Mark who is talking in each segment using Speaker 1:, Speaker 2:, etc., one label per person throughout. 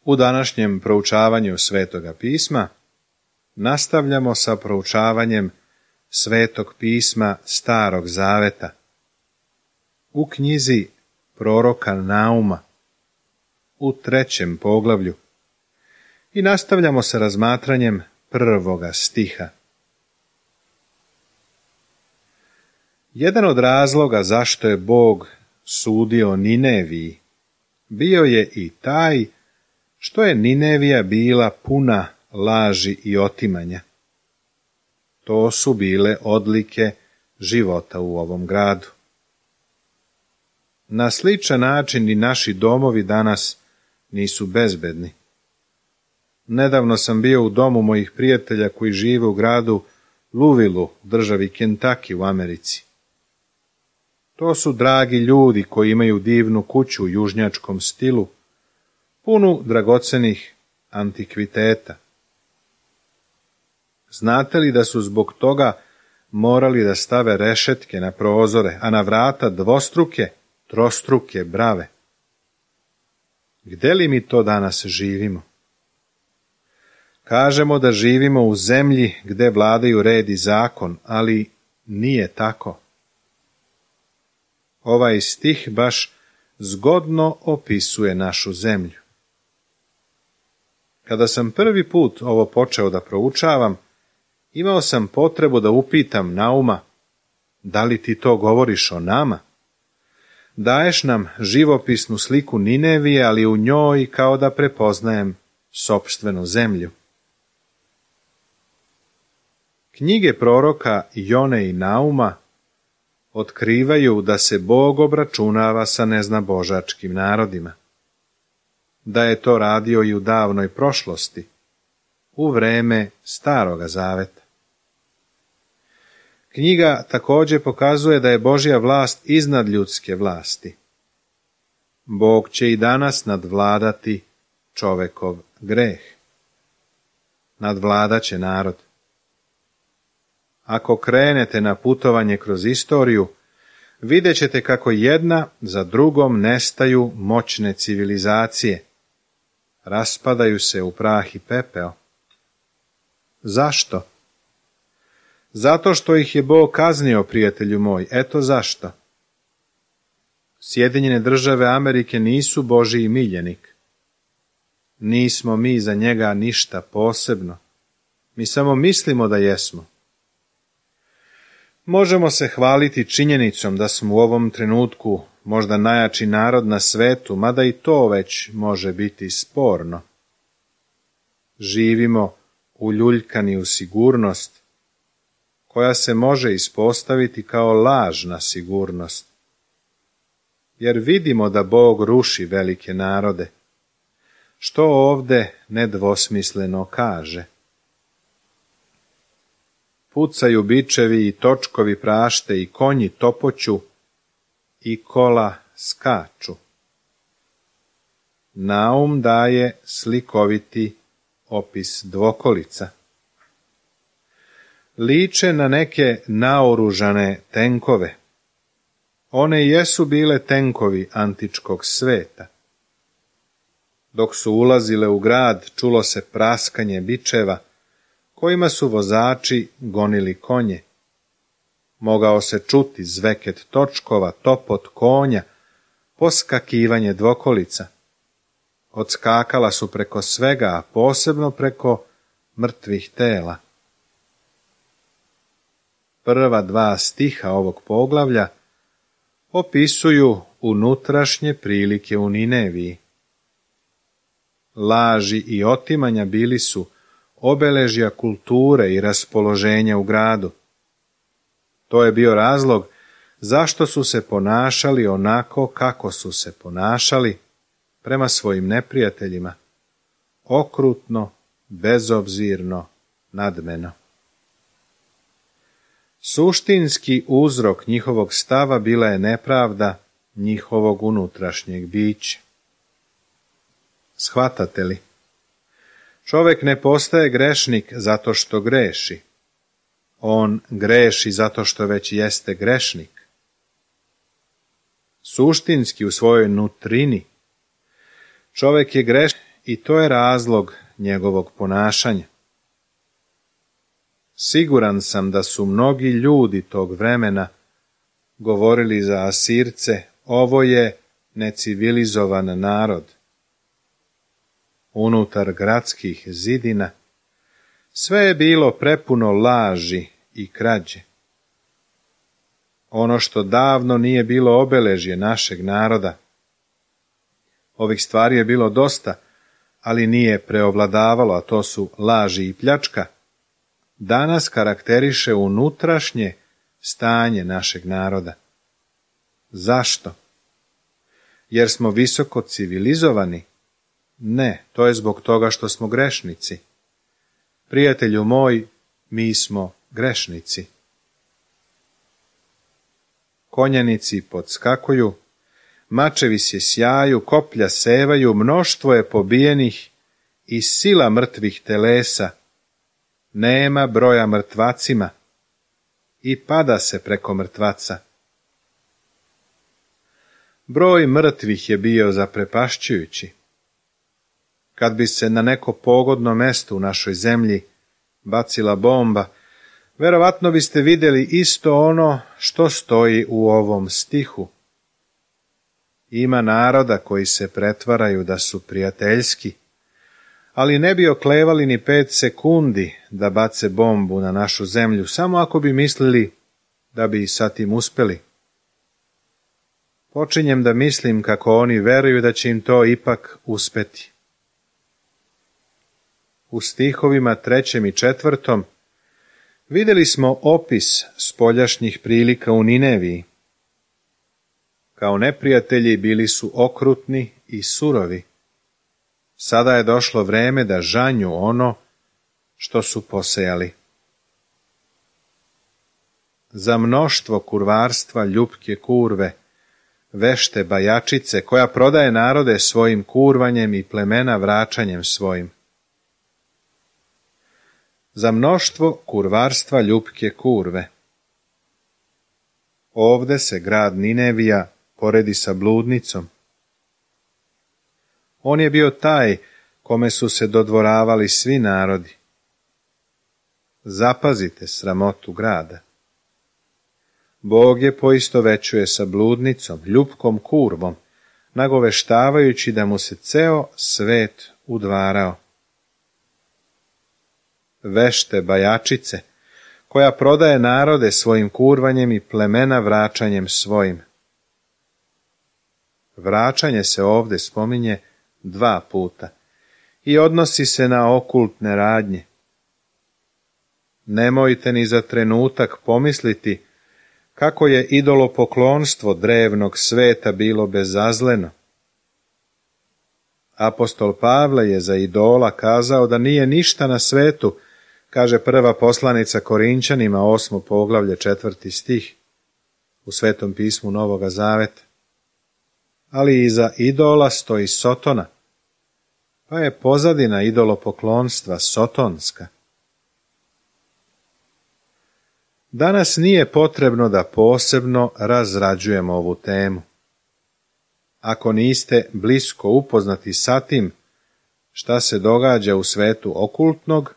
Speaker 1: U današnjem proučavanju Svetoga pisma nastavljamo sa proučavanjem Svetog pisma Starog zaveta u knjizi proroka Nauma u 3. poglavlju i nastavljamo sa razmatranjem 1. stiha. Jedan od razloga zašto je Bog sudio Nineviji bio je i taj što je Ninevija bila puna laži i otimanja. To su bile odlike života u ovom gradu. Na sličan način i naši domovi danas nisu bezbedni. Nedavno sam bio u domu mojih prijatelja koji žive u gradu Louisville, u državi Kentucky u Americi. To su dragi ljudi koji imaju divnu kuću u južnjačkom stilu, punu dragocenih antikviteta. Znate li da su zbog toga morali da stave rešetke na prozore, a na vrata dvostruke, trostruke brave? Gde li mi to danas živimo? Kažemo da živimo u zemlji gde vladaju red i zakon, ali nije tako. Ovaj stih baš zgodno opisuje našu zemlju. Kada sam prvi put ovo počeo da proučavam, imao sam potrebu da upitam Nauma, da li ti to govoriš o nama? Daješ nam živopisnu sliku Ninevije, ali u njoj kao da prepoznajem sopstvenu zemlju. Knjige proroka Jone i Nauma otkrivaju da se Bog obračunava sa neznabožačkim narodima. Da je to radio i u davnoj prošlosti, u vreme Staroga zaveta. Knjiga također pokazuje da je Božja vlast iznad ljudske vlasti. Bog će i danas nadvladati čovekov greh. Nadvladat će narod. Ako krenete na putovanje kroz istoriju, vidjet ćete kako jedna za drugom nestaju moćne civilizacije. Raspadaju se u prah i pepeo. Zašto? Zato što ih je Bog kaznio, prijatelju moj. Eto zašto. Sjedinjene države Amerike nisu Božji miljenik. Nismo mi za njega ništa posebno. Mi samo mislimo da jesmo. Možemo se hvaliti činjenicom da smo u ovom trenutku možda najjači narod na svetu, mada i to već može biti sporno. Živimo uljuljkani u sigurnost, koja se može ispostaviti kao lažna sigurnost. Jer vidimo da Bog ruši velike narode, što ovde nedvosmisleno kaže. Pucaju bičevi i točkovi prašte i konji topoću i kola skaču. Naum daje slikoviti opis dvokolica. Liče na neke naoružane tenkove. One jesu bile tenkovi antičkog sveta. Dok su ulazile u grad, čulo se praskanje bičeva, kojima su vozači gonili konje. Mogao se čuti zveket točkova, topot konja, poskakivanje dvokolica. Odskakala su preko svega, a posebno preko mrtvih tela. Prva 2 stiha ovog poglavlja opisuju unutrašnje prilike u Nineviji. Laži i otimanja bili su obeležja kulture i raspoloženja u gradu. To je bio razlog zašto su se ponašali onako kako su se ponašali prema svojim neprijateljima, okrutno, bezobzirno, nadmeno. Suštinski uzrok njihovog stava bila je nepravda njihovog unutrašnjeg bića. Shvatate li? Čovek ne postaje grešnik zato što greši. On greši zato što već jeste grešnik. Suštinski u svojoj nutrini čovek je grešnik i to je razlog njegovog ponašanja. Siguran sam da su mnogi ljudi tog vremena govorili za Asirce, ovo je necivilizovan narod. Unutar gradskih zidina sve je bilo prepuno laži i krađe. Ono što davno nije bilo obeležje našeg naroda. Ovih stvari je bilo dosta, ali nije preovladavalo, a to su laži i pljačka. Danas karakteriše unutrašnje stanje našeg naroda. Zašto? Jer smo visoko civilizovani? Ne, to je zbog toga što smo grešnici. Prijatelju moj, mi smo grešnici. Konjanici podskakuju, mačevi se sjaju, koplja sevaju, mnoštvo je pobijenih i sila mrtvih telesa. Nema broja mrtvacima i pada se preko mrtvaca. Broj mrtvih je bio zaprepašćujući. Kad bi se na neko pogodno mesto u našoj zemlji bacila bomba, verovatno biste vidjeli isto ono što stoji u ovom stihu. Ima naroda koji se pretvaraju da su prijateljski, ali ne bi oklevali ni 5 sekundi da bace bombu na našu zemlju, samo ako bi mislili da bi sa tim uspjeli. Počinjem da mislim kako oni veruju da će im to ipak uspeti. U stihovima 3. i 4. vidjeli smo opis spoljašnjih prilika u Nineviji. Kao neprijatelji bili su okrutni i surovi. Sada je došlo vreme da žanju ono što su posejali. Za mnoštvo kurvarstva ljupke kurve, vešte bajačice, koja prodaje narode svojim kurvanjem i plemena vraćanjem svojim. Za mnoštvo kurvarstva ljupke kurve. Ovde se grad Ninevija poredi sa bludnicom. On je bio taj kome su se dodvoravali svi narodi. Zapazite sramotu grada. Bog je poistovećuje sa bludnicom, ljupkom kurvom, nagoveštavajući da mu se ceo svet udvarao. Vešte bajačice, koja prodaje narode svojim kurvanjem i plemena vraćanjem svojim. Vraćanje se ovdje spominje 2 puta i odnosi se na okultne radnje. Nemojte ni za trenutak pomisliti kako je idolopoklonstvo drevnog sveta bilo bezazleno. Apostol Pavle je za idola kazao da nije ništa na svetu, kaže prva poslanica Korinćanima 8. poglavlje 4. stih u Svetom pismu Novoga Zaveta. Ali iza idola stoji Sotona, pa je pozadina idolopoklonstva sotonska. Danas nije potrebno da posebno razrađujemo ovu temu. Ako niste blisko upoznati sa tim šta se događa u svetu okultnog,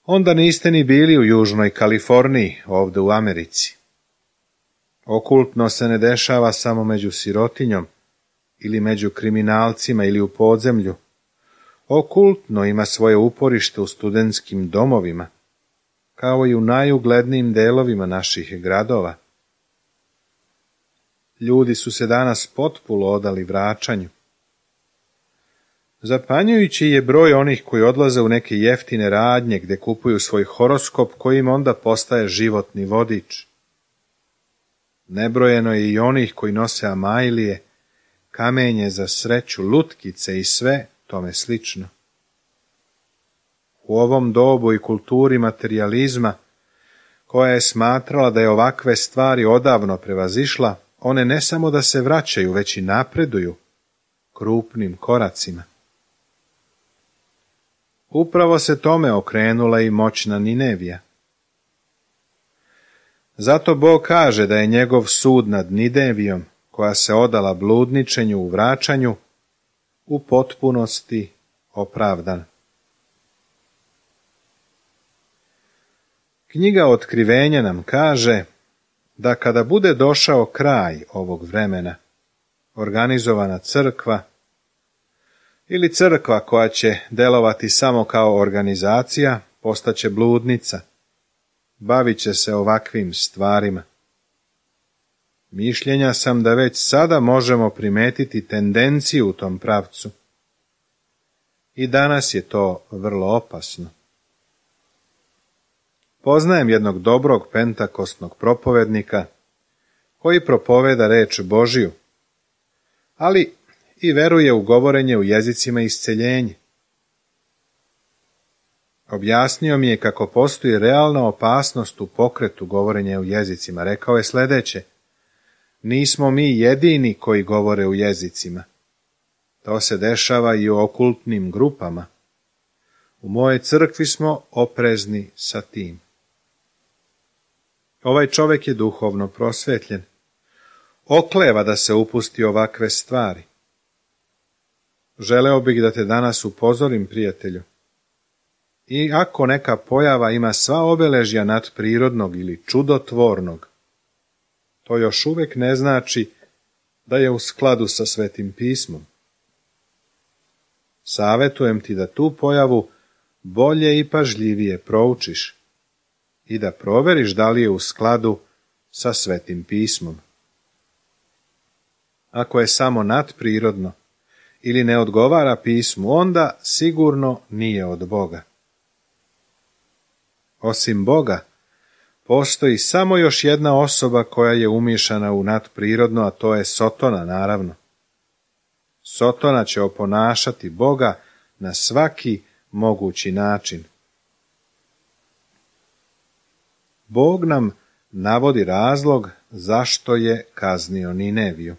Speaker 1: onda niste ni bili u Južnoj Kaliforniji, ovdje u Americi. Okultno se ne dešava samo među sirotinjom, ili među kriminalcima, ili u podzemlju. Okultno ima svoje uporište u studentskim domovima, kao i u najuglednijim delovima naših gradova. Ljudi su se danas potpuno odali vraćanju. Zapanjujući je broj onih koji odlaze u neke jeftine radnje gdje kupuju svoj horoskop koji im onda postaje životni vodič. Nebrojeno je i onih koji nose amajlije, kamenje za sreću, lutkice i sve tome slično. U ovom dobu i kulturi materijalizma, koja je smatrala da je ovakve stvari odavno prevazišla, one ne samo da se vraćaju, već i napreduju krupnim koracima. Upravo se tome okrenula i moćna Ninevija. Zato Bog kaže da je njegov sud nad Ninevijom, koja se odala bludničenju u vraćanju, u potpunosti opravdan. Knjiga Otkrivenja nam kaže da kada bude došao kraj ovog vremena, organizovana crkva ili crkva koja će delovati samo kao organizacija postaće bludnica, bavit će se ovakvim stvarima. Mišljenja sam da već sada možemo primetiti tendenciju u tom pravcu. I danas je to vrlo opasno. Poznajem jednog dobrog pentakostnog propovednika koji propoveda reč Božiju, ali i veruje u govorenje u jezicima isceljenje. Objasnio mi je kako postoji realna opasnost u pokretu govorenja u jezicima. Rekao je sljedeće: nismo mi jedini koji govore u jezicima. To se dešava i u okultnim grupama. U mojoj crkvi smo oprezni sa tim. Ovaj čovjek je duhovno prosvetljen. Okleva da se upusti ovakve stvari. Želeo bih da te danas upozorim, prijatelju. I ako neka pojava ima sva obeležja nadprirodnog ili čudotvornog, to još uvijek ne znači da je u skladu sa Svetim pismom. Savjetujem ti da tu pojavu bolje i pažljivije proučiš i da proveriš da li je u skladu sa Svetim pismom. Ako je samo nadprirodno ili ne odgovara pismu, onda sigurno nije od Boga. Osim Boga, postoji samo još jedna osoba koja je umiješana u nadprirodno, a to je Sotona, naravno. Sotona će oponašati Boga na svaki mogući način. Bog nam navodi razlog zašto je kaznio Nineviju.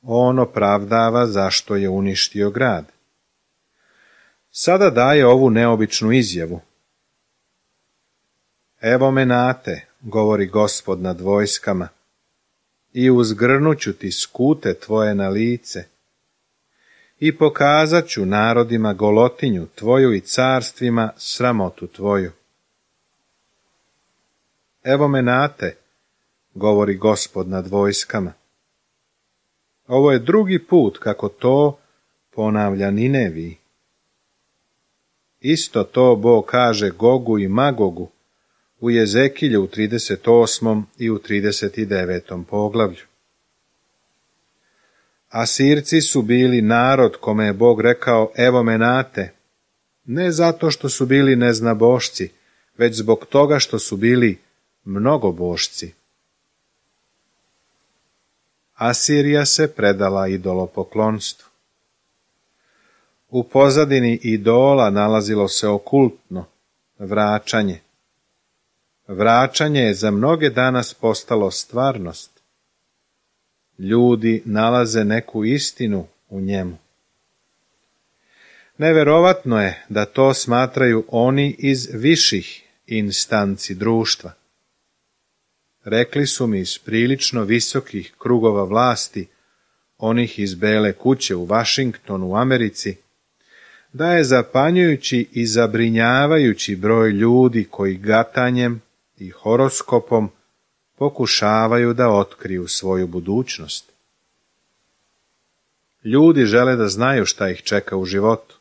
Speaker 1: On opravdava zašto je uništio grad. Sada daje ovu neobičnu izjavu. Evo me nate, govori Gospod nad vojskama, i uzgrnut ću ti skute tvoje na lice i pokazat ću narodima golotinju tvoju i carstvima sramotu tvoju. Evo me nate, govori Gospod nad vojskama. Ovo je drugi put kako to ponavlja Nineviji. Isto to Bog kaže Gogu i Magogu u Jezekilju u 38. i u 39. poglavlju. Asirci su bili narod kome je Bog rekao evo me nate, ne zato što su bili neznabošci, već zbog toga što su bili mnogobošci. Asirija se predala idolopoklonstvu. U pozadini idola nalazilo se okultno, vraćanje. Vraćanje je za mnoge danas postalo stvarnost. Ljudi nalaze neku istinu u njemu. Neverovatno je da to smatraju oni iz viših instanci društva. Rekli su mi iz prilično visokih krugova vlasti, onih iz Bele kuće u Vašingtonu u Americi, da je zapanjujući i zabrinjavajući broj ljudi koji gatanjem i horoskopom pokušavaju da otkriju svoju budućnost. Ljudi žele da znaju šta ih čeka u životu.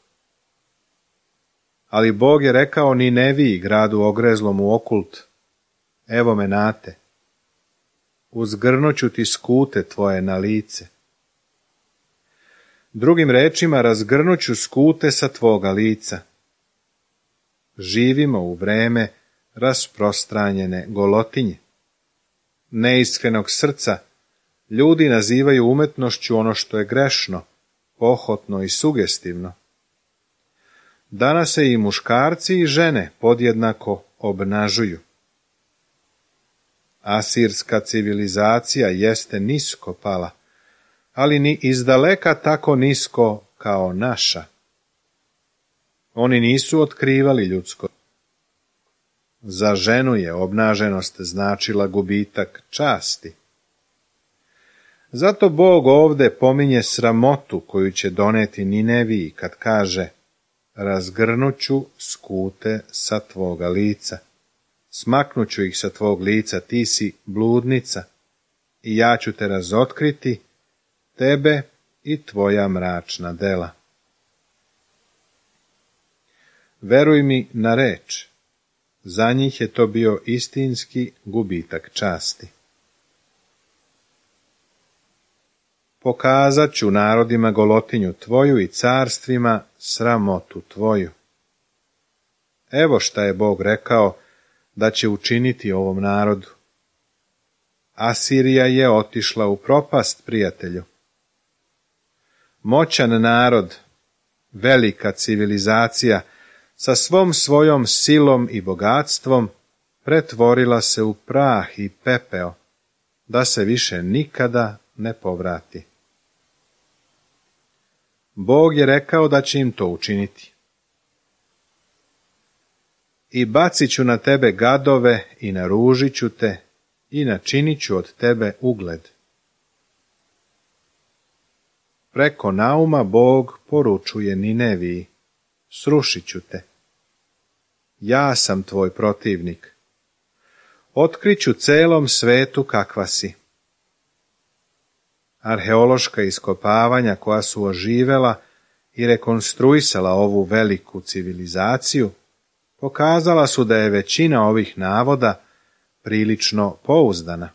Speaker 1: Ali Bog je rekao Nineviji, gradu ogrezlom u okult, evo me nate, uzgrnut ću ti skute tvoje na lice. Drugim rečima, razgrnut ću skute sa tvoga lica. Živimo u vreme rasprostranjene golotinje. Neiskrenog srca ljudi nazivaju umetnošću ono što je grešno, pohotno i sugestivno. Danas se i muškarci i žene podjednako obnažuju. Asirska civilizacija jeste nisko pala, ali ni izdaleka tako nisko kao naša. Oni nisu otkrivali ljudsko. Za ženu je obnaženost značila gubitak časti. Zato Bog ovde pominje sramotu koju će doneti Nineviji kad kaže: razgrnuću skute sa tvoga lica, smaknuću ih sa tvog lica, ti si bludnica, i ja ću te razotkriti, tebe i tvoja mračna dela. Veruj mi na reč, za njih je to bio istinski gubitak časti. Pokazat ću narodima golotinju tvoju i carstvima sramotu tvoju. Evo šta je Bog rekao da će učiniti ovom narodu. Asirija je otišla u propast, prijatelju. Moćan narod, velika civilizacija, sa svom svojom silom i bogatstvom pretvorila se u prah i pepeo, da se više nikada ne povrati. Bog je rekao da će im to učiniti. I bacit ću na tebe gadove i naružit ću te i načinit ću od tebe ugled. Preko Nauma Bog poručuje Nineviji: srušit ću te. Ja sam tvoj protivnik. Otkriću celom svetu kakva si. Arheološka iskopavanja koja su oživela i rekonstruisala ovu veliku civilizaciju pokazala su da je većina ovih navoda prilično pouzdana.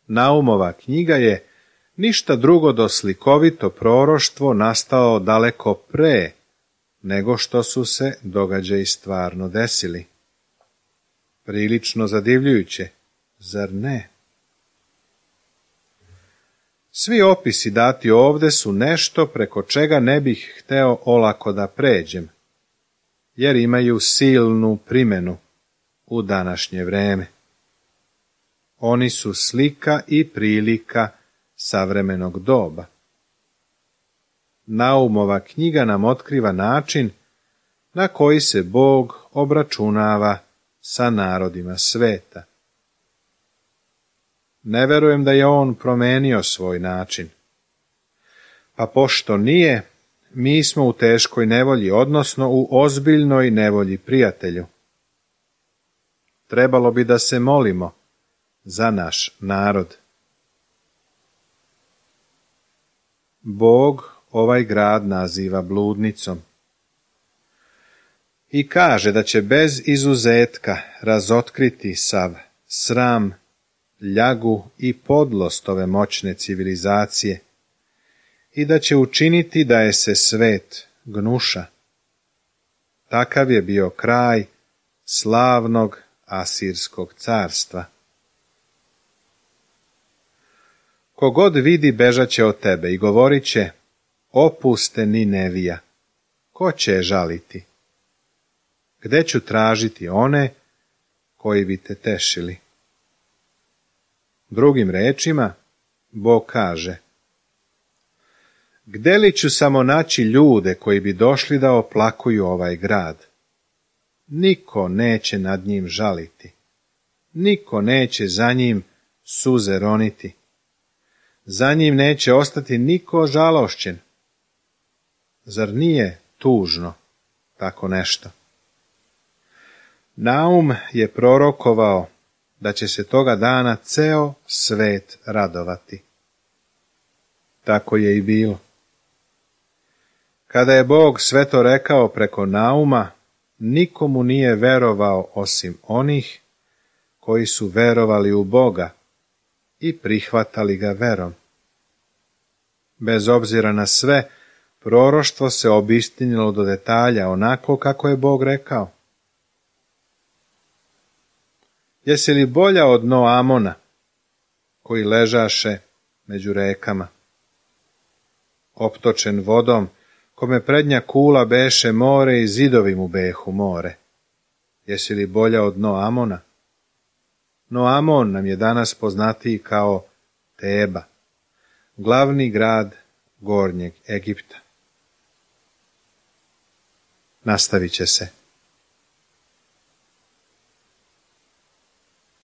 Speaker 1: Naumova knjiga je ništa drugo do slikovito proroštvo nastao daleko pre nego što su se događaji stvarno desili. Prilično zadivljujuće, zar ne? Svi opisi dati ovde su nešto preko čega ne bih hteo olako da pređem, jer imaju silnu primenu u današnje vreme. Oni su slika i prilika savremenog doba. Naumova knjiga nam otkriva način na koji se Bog obračunava sa narodima sveta. Ne verujem da je on promenio svoj način. Pa pošto nije, mi smo u teškoj nevolji, odnosno u ozbiljnoj nevolji, prijatelju. Trebalo bi da se molimo za naš narod. Bog ovaj grad naziva bludnicom i kaže da će bez izuzetka razotkriti sav sram, ljagu i podlost ove moćne civilizacije i da će učiniti da je se svet gnuša. Takav je bio kraj slavnog Asirskog carstva. Kogod vidi bežaće od tebe i govorit će: opuste Ninevija, ko će je žaliti? Gde ću tražiti one koji bi te tešili? Drugim rečima, Bog kaže: gde li ću samo naći ljude koji bi došli da oplakuju ovaj grad? Niko neće nad njim žaliti, niko neće za njim suze roniti, za njim neće ostati niko žalošćen. Zar nije tužno tako nešto? Naum je prorokovao da će se toga dana ceo svet radovati. Tako je i bilo. Kada je Bog sve to rekao preko Nauma, nikomu nije verovao osim onih koji su verovali u Boga i prihvatali ga verom. Bez obzira na sve, proroštvo se obistinilo do detalja onako kako je Bog rekao. Jesi li bolja od Noamona, koji ležaše među rekama, optočen vodom, kome prednja kula beše more i zidovi mu behu more? Jesi li bolja od Noamona? Noamon nam je danas poznatiji kao Teba, glavni grad Gornjeg Egipta. Nastavit će se.